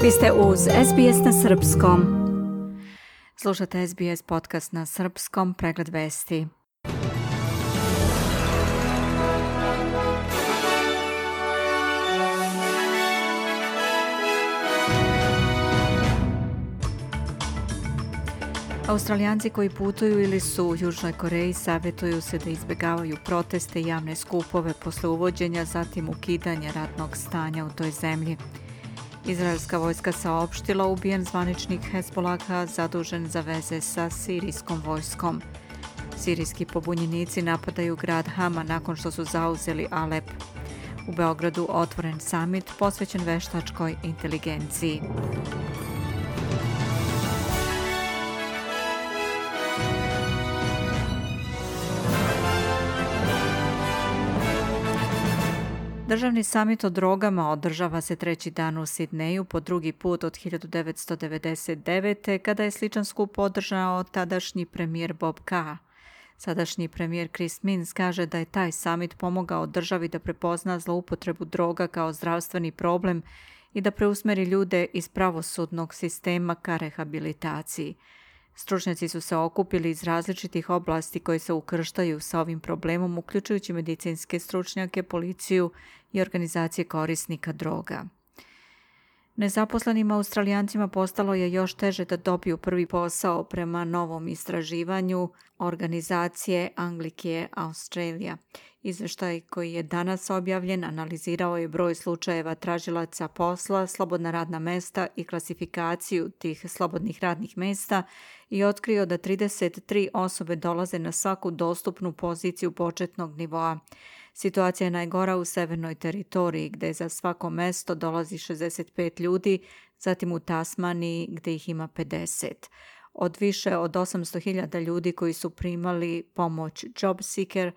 Vi ste uz SBS na srpskom. Slušate SBS podcast na srpskom, pregled vesti. Australijanci koji putuju ili su u Južnoj Koreji savjetuju se da izbjegavaju proteste i javne skupove posle uvođenja, zatim ukidanja ratnog stanja u toj zemlji. Izraelska vojska saopštila ubijen zvaničnik Hezbolaha zadužen za veze sa sirijskom vojskom. Sirijski pobunjenici napadaju grad Hama nakon što su zauzeli Alep. U Beogradu otvoren samit posvećen veštačkoj inteligenciji. Državni samit o drogama održava se treći dan u Sidneju po drugi put od 1999. kada je sličan skup održao tadašnji premijer Bob Carr. Sadašnji premijer Chris Minns kaže da je taj samit pomogao državi da prepozna zloupotrebu droga kao zdravstveni problem i da preusmeri ljude iz pravosudnog sistema ka rehabilitaciji. Stručnjaci su se okupili iz različitih oblasti koji se ukrštaju sa ovim problemom, uključujući medicinske stručnjake, policiju i organizacije korisnika droga. Nezaposlenim Australijancima postalo je još teže da dobiju prvi posao prema novom istraživanju organizacije Anglicare Australia. Izveštaj koji je danas objavljen analizirao je broj slučajeva tražilaca posla, slobodna radna mesta i klasifikaciju tih slobodnih radnih mesta i otkrio da 33 osobe dolaze na svaku dostupnu poziciju početnog nivoa. Situacija je najgora u Severnoj teritoriji gdje za svako mesto dolazi 65 ljudi, zatim u Tasmaniji gdje ih ima 50. Od više od 800.000 ljudi koji su primali pomoć JobSeeker,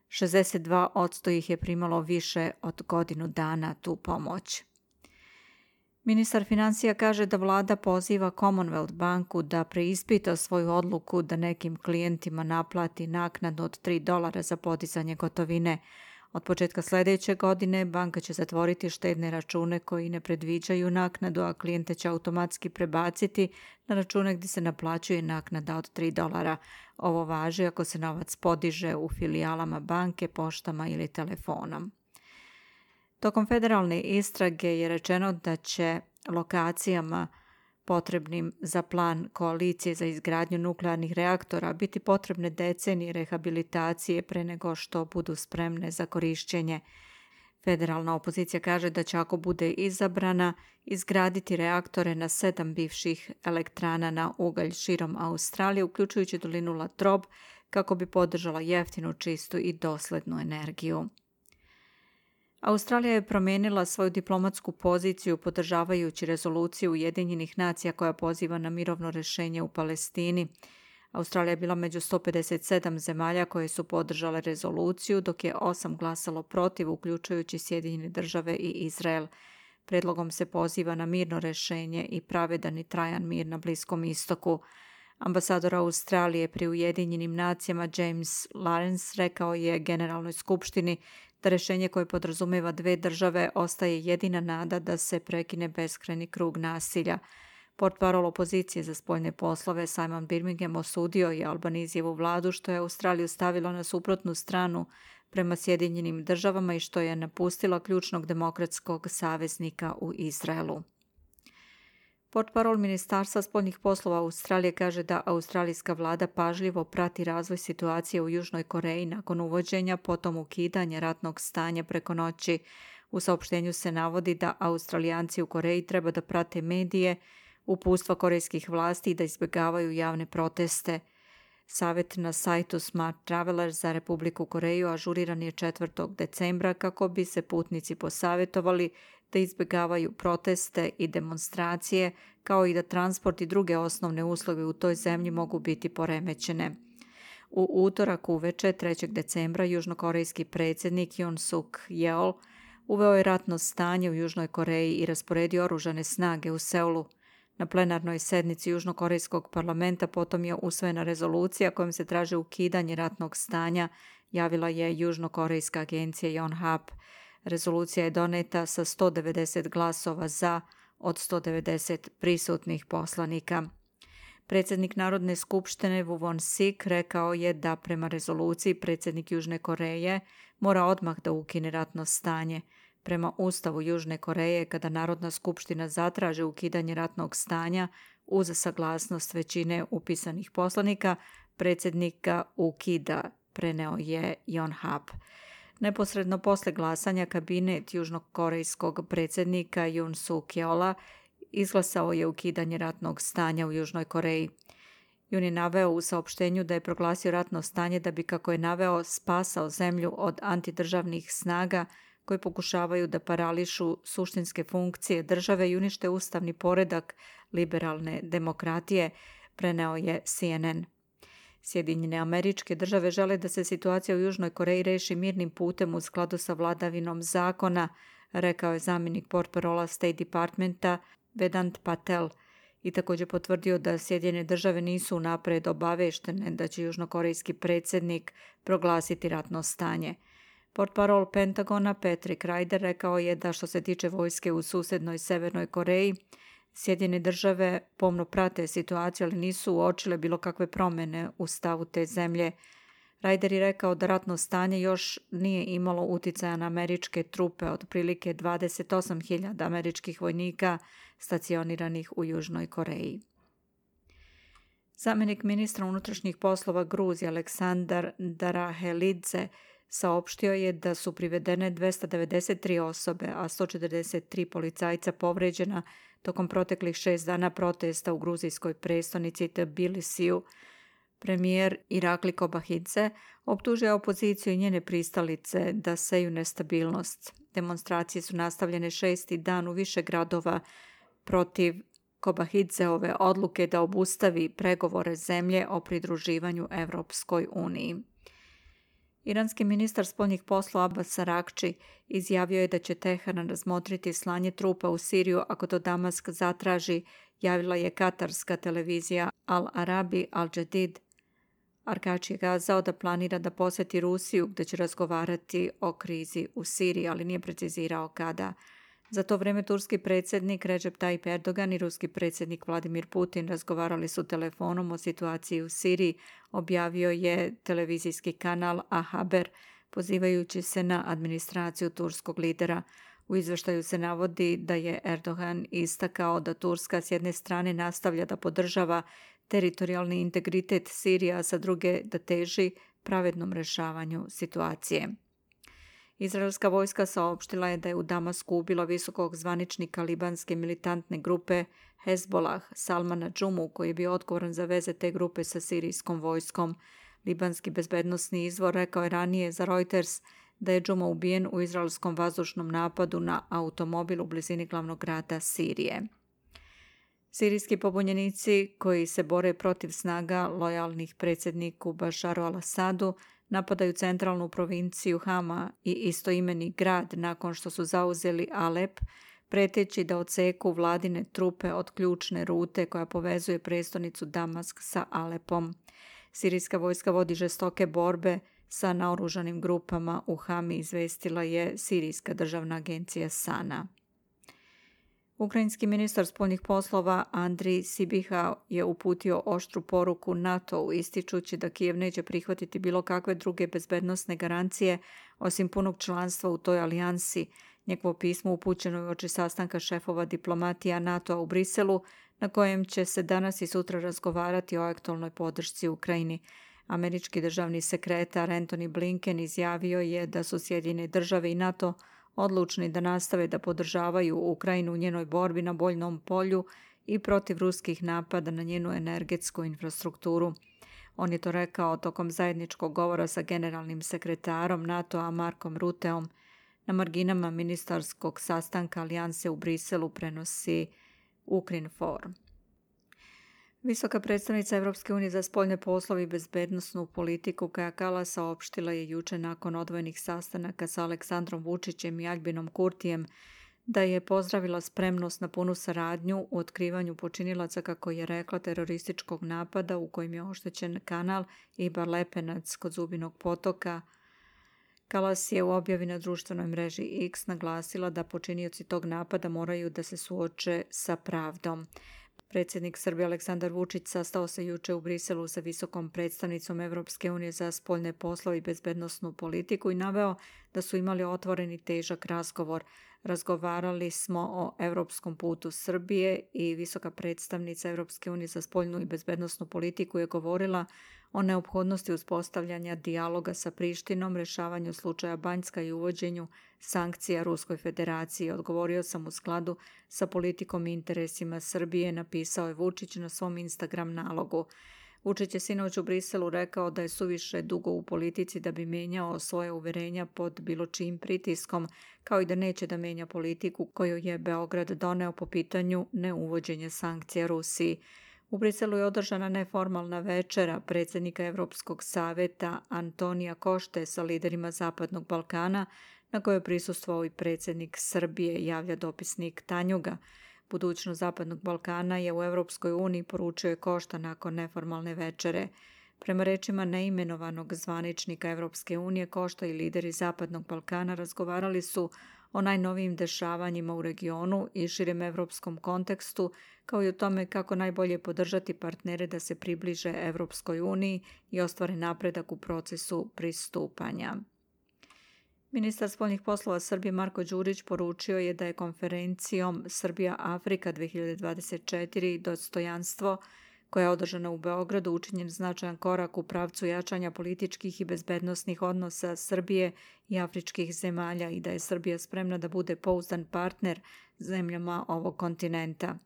62% ih je primalo više od godinu dana tu pomoć. Ministar financija kaže da vlada poziva Commonwealth banku da preispita svoju odluku da nekim klijentima naplati naknadu od $3 za podizanje gotovine. Od početka sljedeće godine banka će zatvoriti štedne račune koji ne predviđaju naknadu, a klijente će automatski prebaciti na račune gdje se naplaćuje naknada od $3. Ovo važi ako se novac podiže u filijalama banke, poštama ili telefonom. Tokom federalne istrage je rečeno da će lokacijama potrebnim za plan koalicije za izgradnju nuklearnih reaktora biti potrebne decenije rehabilitacije pre nego što budu spremne za korišćenje. Federalna opozicija kaže da će, ako bude izabrana, izgraditi reaktore na 7 bivših elektrana na ugalj širom Australije, uključujući dolinu Latrobe, kako bi podržala jeftinu, čistu i doslednu energiju. Australija je promijenila svoju diplomatsku poziciju podržavajući rezoluciju Ujedinjenih nacija koja poziva na mirovno rješenje u Palestini. Australija je bila među 157 zemalja koje su podržale rezoluciju, dok je 8 glasalo protiv, uključujući Sjedinjene države i Izrael. Predlogom se poziva na mirno rješenje i pravedan i trajan mir na Bliskom istoku. Ambasador Australije pri Ujedinjenim nacijama James Lawrence rekao je Generalnoj skupštini da rješenje koje podrazumijeva 2 države ostaje jedina nada da se prekine beskrajni krug nasilja. Portparol opozicije za spoljne poslove Simon Birmingham osudio je Albanizijevu vladu što je Australiju stavilo na suprotnu stranu prema Sjedinjenim državama i što je napustila ključnog demokratskog saveznika u Izraelu. Portparol Ministarstva spoljnih poslova Australije kaže da australijska vlada pažljivo prati razvoj situacije u Južnoj Koreji nakon uvođenja, potom ukidanja ratnog stanja preko noći. U saopštenju se navodi da Australijanci u Koreji treba da prate medije, uputstva korejskih vlasti i da izbjegavaju javne proteste. Savjet na sajtu Smart Traveler za Republiku Koreju ažuriran je 4. decembra kako bi se putnici posavjetovali da izbjegavaju proteste i demonstracije, kao i da transport i druge osnovne usluge u toj zemlji mogu biti poremećene. U utorak uveče 3. decembra južnokorejski predsjednik Yoon Suk Yeol uveo je ratno stanje u Južnoj Koreji i rasporedio oružane snage u Seulu. Na plenarnoj sednici Južnokorejskog parlamenta potom je usvojena rezolucija kojom se traži ukidanje ratnog stanja, javila je južnokorejska agencija Yonhap. Rezolucija je doneta sa 190 glasova za, od 190 prisutnih poslanika. Predsjednik Narodne skupštine Woo Won-sik rekao je da prema rezoluciji predsjednik Južne Koreje mora odmah da ukine ratno stanje. Prema Ustavu Južne Koreje, kada Narodna skupština zatraži ukidanje ratnog stanja uz saglasnost većine upisanih poslanika, predsjednik ga ukida, preneo je Yonhap. Neposredno posle glasanja kabinet južnokorejskog predsjednika Yoon Suk-yeola izglasao je ukidanje ratnog stanja u Južnoj Koreji. Yoon je naveo u saopštenju da je proglasio ratno stanje da bi, kako je naveo, spasao zemlju od antidržavnih snaga koji pokušavaju da parališu suštinske funkcije države i unište ustavni poredak liberalne demokratije, preneo je CNN. Sjedinjene Američke Države žele da se situacija u Južnoj Koreji reši mirnim putem u skladu sa vladavinom zakona, rekao je zamjenik portparola State Departmenta Vedant Patel i također potvrdio da Sjedinjene Države nisu unapred obaveštene da će južnokorejski predsjednik proglasiti ratno stanje. Portparol Pentagona Patrick Ryder rekao je da što se tiče vojske u susednoj Severnoj Koreji, Sjedinjene Države pomno prate situaciju, ali nisu uočile bilo kakve promjene u stavu te zemlje. Ryder je rekao da ratno stanje još nije imalo uticaja na američke trupe od prilike 28.000 američkih vojnika stacioniranih u Južnoj Koreji. Zamjenik ministra unutrašnjih poslova Gruzije Aleksandar Darahelidze saopštio je da su privedene 293 osobe, a 143 policajca povređena tokom proteklih 6 dana protesta u gruzijskoj prestonici Tbilisiju. Premijer Irakli Kobahidze optužio opoziciju i njene pristalice da seju nestabilnost. Demonstracije su nastavljene 6. dan u više gradova protiv Kobahidzeove odluke da obustavi pregovore zemlje o pridruživanju Evropskoj uniji. Iranski ministar spoljnih poslova Abbas Araghči izjavio je da će Teheran razmotriti slanje trupa u Siriju ako to Damask zatraži, javila je katarska televizija Al Arabi Al Jadid. Araghči je kazao da planira da posjeti Rusiju gdje će razgovarati o krizi u Siriji, ali nije precizirao kada. Za to vrijeme turski predsjednik Recep Tayyip Erdogan i ruski predsjednik Vladimir Putin razgovarali su telefonom o situaciji u Siriji, objavio je televizijski kanal A-Haber, pozivajući se na administraciju turskog lidera. U izvještaju se navodi da je Erdogan istakao da Turska s jedne strane nastavlja da podržava teritorijalni integritet Sirije, a sa druge da teži pravednom rješavanju situacije. Izraelska vojska saopštila je da je u Damasku ubila visokog zvaničnika libanske militantne grupe Hezbollah Salmana Džumu, koji je bio odgovoran za veze te grupe sa sirijskom vojskom. Libanski bezbednosni izvor rekao je ranije za Reuters da je Džuma ubijen u izraelskom vazdušnom napadu na automobil u blizini glavnog grada Sirije. Sirijski pobunjenici koji se bore protiv snaga lojalnih predsjedniku Bašaru al-Asadu napadaju centralnu provinciju Hama i istoimeni grad nakon što su zauzeli Alep, preteći da odseku vladine trupe od ključne rute koja povezuje prestonicu Damask sa Alepom. Sirijska vojska vodi žestoke borbe sa naoružanim grupama u Hami, izvestila je Sirijska državna agencija SANA. Ukrajinski ministar spoljnih poslova Andrij Sibiha je uputio oštru poruku NATO-u, ističući da Kijev neće prihvatiti bilo kakve druge bezbednosne garancije osim punog članstva u toj alijansi. Njegovo pismo upućeno je uoči sastanka šefova diplomatija NATO-a u Briselu, na kojem će se danas i sutra razgovarati o aktualnoj podršci Ukrajini. Američki državni sekretar Antony Blinken izjavio je da su Sjedinjene Države i NATO odlučni da nastave da podržavaju Ukrajinu u njenoj borbi na bojnom polju i protiv ruskih napada na njenu energetsku infrastrukturu. On je to rekao tokom zajedničkog govora sa generalnim sekretarom NATO-a Markom Ruteom. Na marginama ministarskog sastanka alijanse u Briselu, prenosi Ukrinform. Visoka predstavnica Europske unije za spoljne poslove i bezbednosnu politiku Kaja Kallas saopštila je jučer nakon odvojenih sastanaka sa Aleksandrom Vučićem i Albinom Kurtijem da je pozdravila spremnost na punu saradnju u otkrivanju počinilaca, kako je rekla, terorističkog napada u kojem je oštećen kanal Ibar Lepenac kod Zubinog potoka. Kallas je u objavi na društvenoj mreži X naglasila da počinioci tog napada moraju da se suoče sa pravdom. Predsjednik Srbije Aleksandar Vučić sastao se juče u Briselu sa visokom predstavnicom Evropske unije za spoljne poslove i bezbednosnu politiku i naveo da su imali otvoreni težak razgovor. Razgovarali smo o europskom putu Srbije i visoka predstavnica Evropske unije za spoljnu i bezbednosnu politiku je govorila o neophodnosti uspostavljanja dijaloga sa Prištinom, rješavanju slučaja Banjska i uvođenju sankcija Ruskoj federaciji. Odgovorio sam u skladu sa politikom i interesima Srbije, napisao je Vučić na svom Instagram nalogu. Vučić je sinoć u Briselu rekao da je suviše dugo u politici da bi menjao svoje uverenja pod bilo čijim pritiskom, kao i da neće da menja politiku koju je Beograd doneo po pitanju neuvođenja sankcija Rusiji. U Briselu je održana neformalna večera predsjednika Evropskog saveta Antonija Košte sa liderima Zapadnog Balkana, na kojoj je prisustvovao i predsjednik Srbije, javlja dopisnik Tanjuga. Budućnost Zapadnog Balkana je u Evropskoj uniji, poručio je Košta nakon neformalne večere. Prema rečima neimenovanog zvaničnika Evropske unije, Košta i lideri Zapadnog Balkana razgovarali su o najnovijim dešavanjima u regionu i širem evropskom kontekstu, kao i o tome kako najbolje podržati partnere da se približe Evropskoj uniji i ostvare napredak u procesu pristupanja. Ministar spoljnih poslova Srbije Marko Đurić poručio je da je konferencijom Srbija-Afrika 2024 dostojanstvo koja je održana u Beogradu učinjen značajan korak u pravcu jačanja političkih i bezbednosnih odnosa Srbije i afričkih zemalja i da je Srbija spremna da bude pouzdan partner zemljama ovog kontinenta.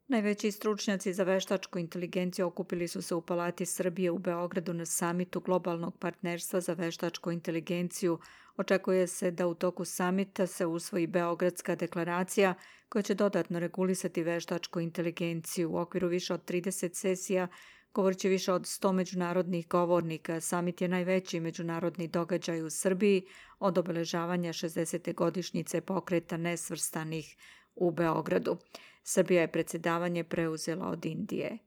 Najveći stručnjaci za veštačku inteligenciju okupili su se u Palati Srbije u Beogradu na samitu globalnog partnerstva za veštačku inteligenciju. Očekuje se da u toku samita se usvoji Beogradska deklaracija koja će dodatno regulisati veštačku inteligenciju. U okviru više od 30 sesija govorit će više od 100 međunarodnih govornika. Samit je najveći međunarodni događaj u Srbiji od obeležavanja 60. godišnjice pokreta nesvrstanih u Beogradu. Srbija je predsjedavanje preuzela od Indije.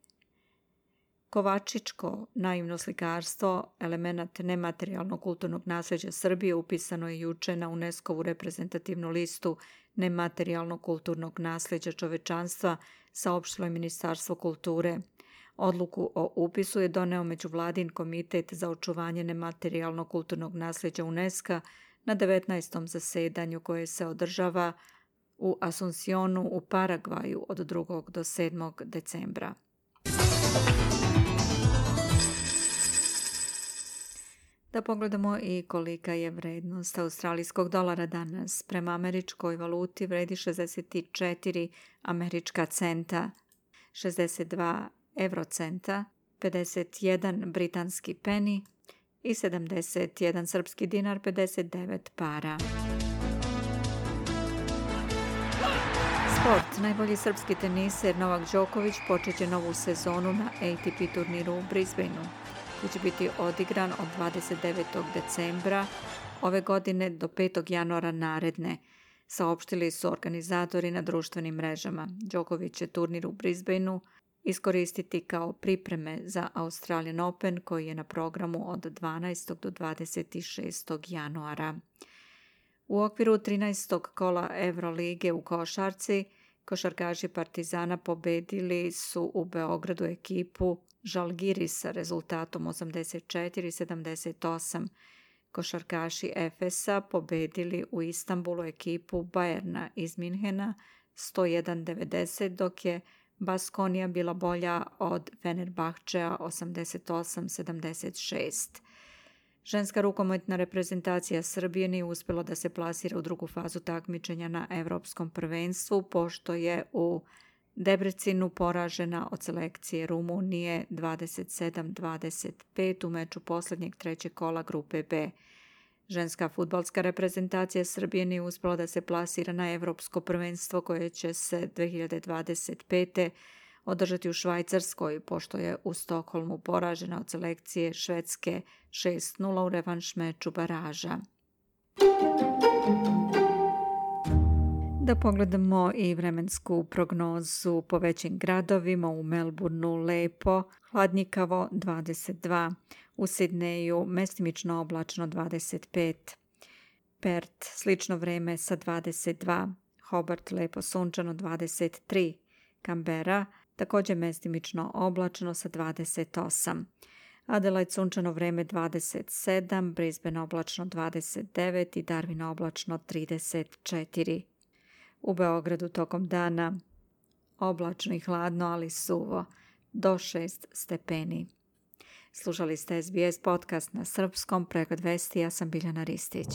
Kovačičko naivno slikarstvo, elemenat nematerijalnog kulturnog nasljeđa Srbije, upisano je juče na UNESCO-vu reprezentativnu listu nematerijalnog kulturnog nasljeđa čovečanstva, saopštilo je Ministarstvo kulture. Odluku o upisu je doneo Međuvladin komitet za očuvanje nematerijalnog kulturnog nasljeđa UNESCO na 19. zasedanju koje se održava u Asuncionu u Paragvaju od 2. do 7. decembra. Da pogledamo i kolika je vrednost australijskog dolara danas. Prema američkoj valuti vredi 64 američka centa, 62 eurocenta, 51 britanski peni i 71 srpski dinar, 59 para. Sport. Najbolji srpski teniser Novak Đoković počeće novu sezonu na ATP turniru u Brisbaneu, koji će biti odigran od 29. decembra ove godine do 5. januara naredne, saopštili su organizatori na društvenim mrežama. Đoković će turnir u Brisbaneu iskoristiti kao pripreme za Australian Open koji je na programu od 12. do 26. januara. U okviru 13. kola Evrolige u košarci, košarkaši Partizana pobedili su u Beogradu ekipu Žalgirisa rezultatom 84-78. Košarkaši Efesa pobedili u Istanbulu ekipu Bajerna iz Minhena 101-90, dok je Baskonija bila bolja od Fenerbahčea 88-76. Ženska rukometna reprezentacija Srbije nije uspjela da se plasira u drugu fazu takmičenja na Evropskom prvenstvu, pošto je u Debrecinu poražena od selekcije Rumunije 27-25 u meču posljednjeg trećeg kola grupe B. Ženska fudbalska reprezentacija Srbije nije uspjela da se plasira na Evropsko prvenstvo koje će se 2025. održati u Švajcarskoj, pošto je u Stokholmu poražena od selekcije Švedske 6-0 u revanš meču baraža. Da pogledamo i vremensku prognozu po većim gradovima. U Melbourneu lepo, hladnjikavo 22, U Sidneju mestimično oblačno 25. Perth slično vrijeme sa 22. Hobart lepo sunčano 23. Canberra također mestimično oblačno sa 28. Adelaide sunčano vrijeme 27, Brisbane oblačno 29 i Darwin oblačno 34. U Beogradu tokom dana oblačno i hladno, ali suvo, do 6 stepeni. Slušali ste SBS podcast na srpskom, pregled vesti, ja sam Biljana Ristić.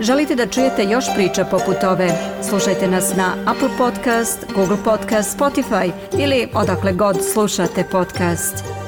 Želite da čujete još priča poput ove? Slušajte nas na Apple Podcast, Google Podcast, Spotify ili odakle god slušate podcast.